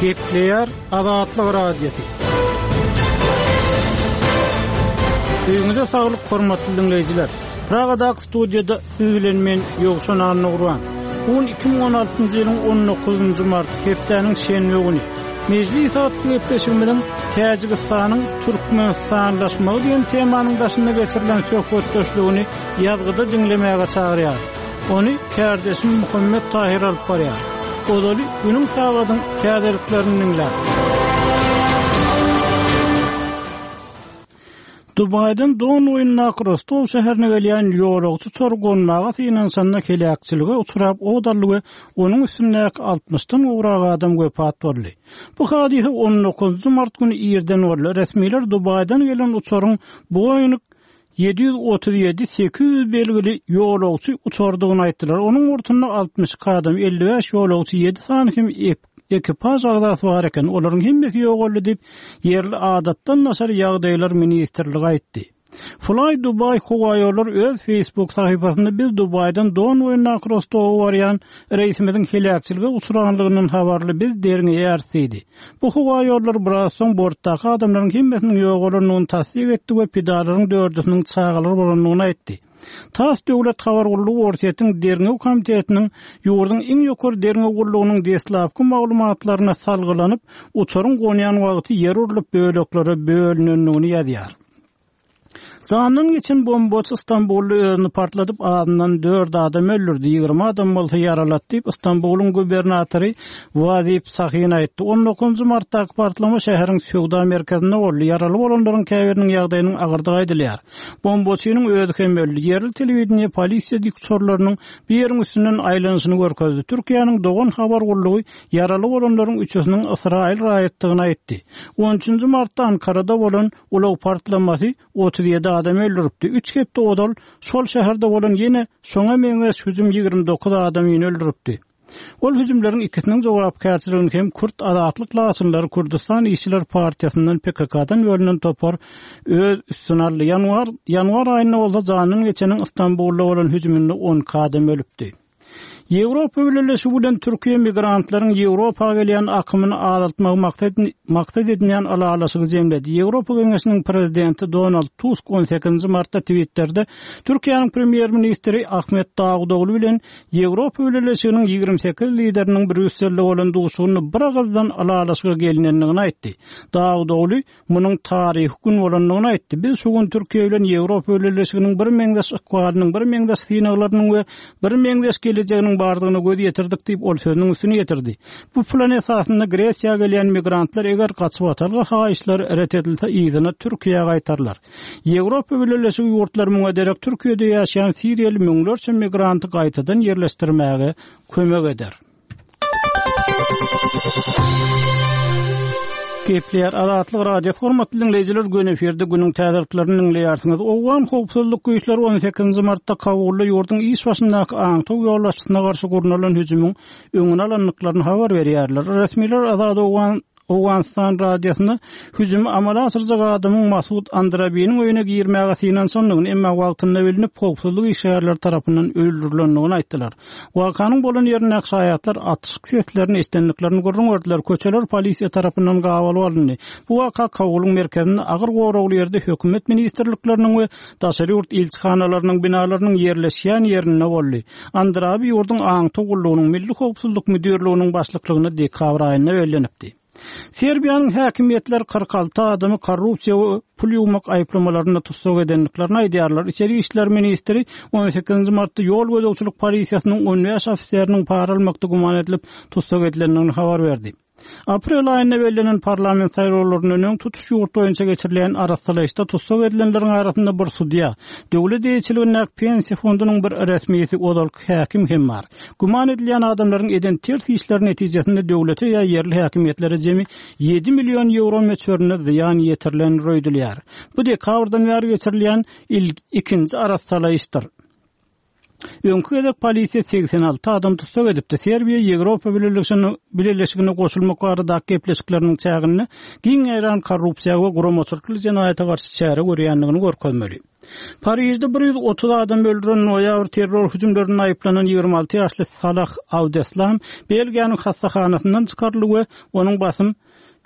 Gepleýär Azatlyk Radiosy. Öýüňize saglyk hormatly diňleýjiler. Pragadaky studiýada siz bilen men Ýowşan Annagurban. Bu gün 2016-njy ýylyň 19-njy marty, hepdäniň şenbe güni. Mejlis atly gepleşigimiziň Täjigistanyň türkmenistanlaşmagy diýen temanyň daşynda geçirilen söhbetdeşligini ýazgyda diňlemäge çagyrýar. Ony kärdeşim Muhammet Tahyr alyp barýar. Ozaly günüň sagadyň täzeliklerini diňläň. Dubaýdan Don boýundaky Rostow şäherine gelýän ýolagçy uçary gonmaga synanyşanda heläkçilige uçrap ot aldy we onuň üstündäki altmyşdan gowrak adam wepat boldy. Bu hadysa on dokuzynjy mart güni irden boldy. Resmiler Dubaýdan gelen uçaryň Boeing 737 800 belgili ýolagçy uçardygyny aýtdylar. Onuň bortunda 62 adam, 55 ýolagçy, ýedi sany hem ekipaž agzasy bar eken. Olaryň hemmesi ýogaldy diýip, ýerli Adatdan daşary ýagdaýlar ministrligi aýtdy. Fly Dubai howaýollary öz Facebook sahypasynda biz Dubaýdan Don boýundaky Rostowa barýan reýsimiziň heläkçilige uçranlygyndan habarly biz derňeýäris diýdi. Bu howa ýollary biraz soň bortdaky adamlaryň hemmesiniň ýogalandygyny tassyk etdi we pidalaryň dördüsiniň çagalar bolandygyny aýtdy. Tass döwlet habar gullugy Orsýetiň Derňew komitetiniň ýurduň iň ýokary derňew gullugynyň deslapky maglumatlaryna salgylanyp, uçaryň gonýan wagty ýer urlup böleklere bölünendigini ýazýar. Jandan geçen bombaçy Stambulda özüni partladyp, azyndan dört adam öldürdi, 20 adam bolsa ýaralady diýip, Stambulyň gubernatory Wazip Sahin aýtdy. On dokuzynjy martdaky partlama şäheriň söwda merkezinde boldy. Ýaraly bolanlaryň käbiriniň ýagdaýynyň agyrdygy aýdylýar. Bombaçynyň özi hem öldi. Ýerli telewideniýe polisiýa dikuçarlarynyň bu ýeriň üstünden aýlanyşyny görkezdi. Türkiýäniň Dogan habar gullugy ýaraly bolanlaryň üçüsiniň ysraýyl raýatdygyny aýtdy. On üçünji martda Ankarada bolan Ulag partlamasy 37 adamy öldüripdi. Üç hepde ozal şol şäherde bolan ýene şoňa meňzeş hüjüm 29 adamyny öldüripdi. Ol hüjümleriň ikisiniň jogapkärçiligini hem Kürt azatlyk laçynlary Kürdüstan işçiler partiýasyndan PKK-dan bölünen topar öz üstüne aldy. Ýanwar ýanwar aýynda bolsa jandan geçeniň Stambulda bolan hüjüminde 12 adam ölüpdi. Ýewropa Bileleşigi bilen Türkiýe migrantlaryň Ýewropa gelýän akymyny azaltmagy maksat edinýän ylalaşygy jemledi. Ýewropa Geňeşiniň Prezidenti Donald Tusk on sekizinji martda Twitterde Türkiýäniň Premýer-ministri Ahmet Dawutogly bilen Ýewropa Bileleşiginiň 28 lideriniň Brýusselde bolan duşuşygynda bir agyzdan ylalaşyga gelinendigini aýtdy. Dawutogly munuň taryhy gün bolandygyny aýtdy. Biz şu gün Türkiýe bilen Ýewropa Bileleşiginiň birmeňzeş ykbalynyň, birmeňzeş synaglarynyň we birmeňzeş gelejeginiň bardygyna göz ýetirdik diýip, ol sözüniň üstüni ýetirdi. Bu plan esasynda Gresiýa gelýän migrantlar eger gaçybatalga haýyşlary ret edilse yzyna Türkiýä gaýtarylar. Ýewropa Bileleşigi ýurtlary muňa derek Türkiýede ýaşaýan siriýaly müňlerçe migranty gaýtadan ýerleşdirmäge kömek eder. Gepleýär Azatlyk Radiosy hormatly diňleýjiler göni efirde günüň täzeliklerini diňleýärsiňiz. Owgan howpsuzlyk güýçleri 18-nji martda Kabulda ýurduň iş başyndaky aňtaw ýolbaşçysyna garşy gurnalan hüjümiň öňüni alandyklaryny habar berýärler. Resmiler Azat Owgan Owganystan radiosyna hüjümi amala aşyrjak adamyň Masud Andrabiniň öýüne girmäge synanyşandygyny, emma wagtynda bilnip, howpsuzlyk işgärleri tarapyndan öldürilendigini aýtdylar. Wakanyň bolan ýerindäki şaýatlar atyşyk seslerini eşidendiklerini gürrüň berdiler, köçeler polisiýa tarapyndan gabalyp alyndy. Bu waka Kabulyň merkezinde agyr goragly ýerde hökümet ministrlikleriniň we daşary ýurt ilçihanalarynyň binalarynyň ýerleşýän ýerinde boldy. Andrabi ýurduň aňtaw gullugynyň Milli howpsuzlyk müdirliginiň başlyklygyna dekabr aýynda bellenipdi. Serbiýanyň häkimiýetleri 46 adamy korrupsiýa we pul ýuwmak aýyplamalarynda tussag edendiklerini aýdýarlar. Içeri işler ministri on sekizinji martda ýol gözegçilik polisiýasynyň on bäş ofiseriniň para almakda güman edilip tussag edilendigini habar berdi. Aprel aýynda bellenen parlament saýlawlaryndan öň tutuş ýurt boýunça geçirilýän arassalaýyşda tussag edilenleriň arasynda bir sudýa, döwlet eýeçiligindäki pensiýa fondunyň bir resmisi, ozalky häkim hem bar. Güman edilýän adamlaryň eden ters işleri netijesinde döwlete ýa ýerli häkimiýetlere jemi ýedi million ýewro möçberinde zyýan ýetirilendir öýdülýär. Bu dekabrdan bäri geçirilýän ikinji arassalaýyşdyr. Öňki gezek polisiýa 86 adam tussag edipdi. Serbiýa Ýewropa Bileleşigine goşulmak baradaky gepleşikleriniň çäginde giň ýaýran korrupsiýa we guramaçylykly jenaýata garşy çäre görýändigini görkezmeli. Parižde 130 adam öldüren noýabr terror hüjümlerinde aýyplanan 26 ýaşly Salah Abdeslam Belgiýanyň hassahanasyndan çykaryldy we onuň basym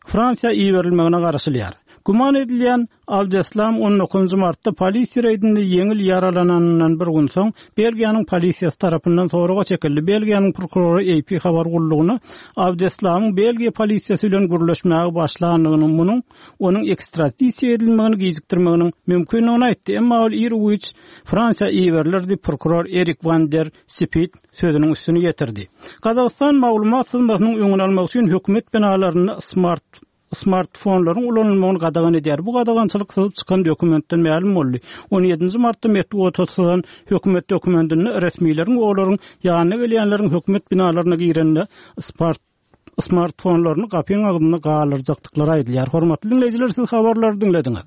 Fransiýa iberilmegine garaşylýar. Güman edilýän Abdeslam on dokuzynjy martda polisiýa reýdinde ýeňil ýaralananyndan bir gün soň, Belgiýanyň polisiýasy tarapyndan soraga çekildi. Belgiýanyň prokurory AP habar gullugyna Abdeslamyň Belgiýa polisiýasy bilen gürleşmäge başlandygyny, munuň onuň ekstradisiýa edilmegini gijikdirmeginiň mümkindigini aýtdy. Emma ol iru-giç Fransiýa iberiler diýip, prokuror Erik wan der Sipit sözüniň üstüni ýetirdi. Gazagystan maglumat syzmasynyň öňüni almak üçin hökümet binalarynda smart smartfonlaryň ulanylmagyny gadagan edýär. Bu gadagançylyk syzyp çykan dokumentden mälim boldy. On ýedinji martda metbugata syzan hökümet dokumentinde resmileriň we olaryň ýanyna gelýänleriň hökümet binalaryna girende smartfonlaryny gapyň agzynda galdyrjakdyklary aýdylýar. Hormatly diňleýjiler, siz habarlary diňlediňiz.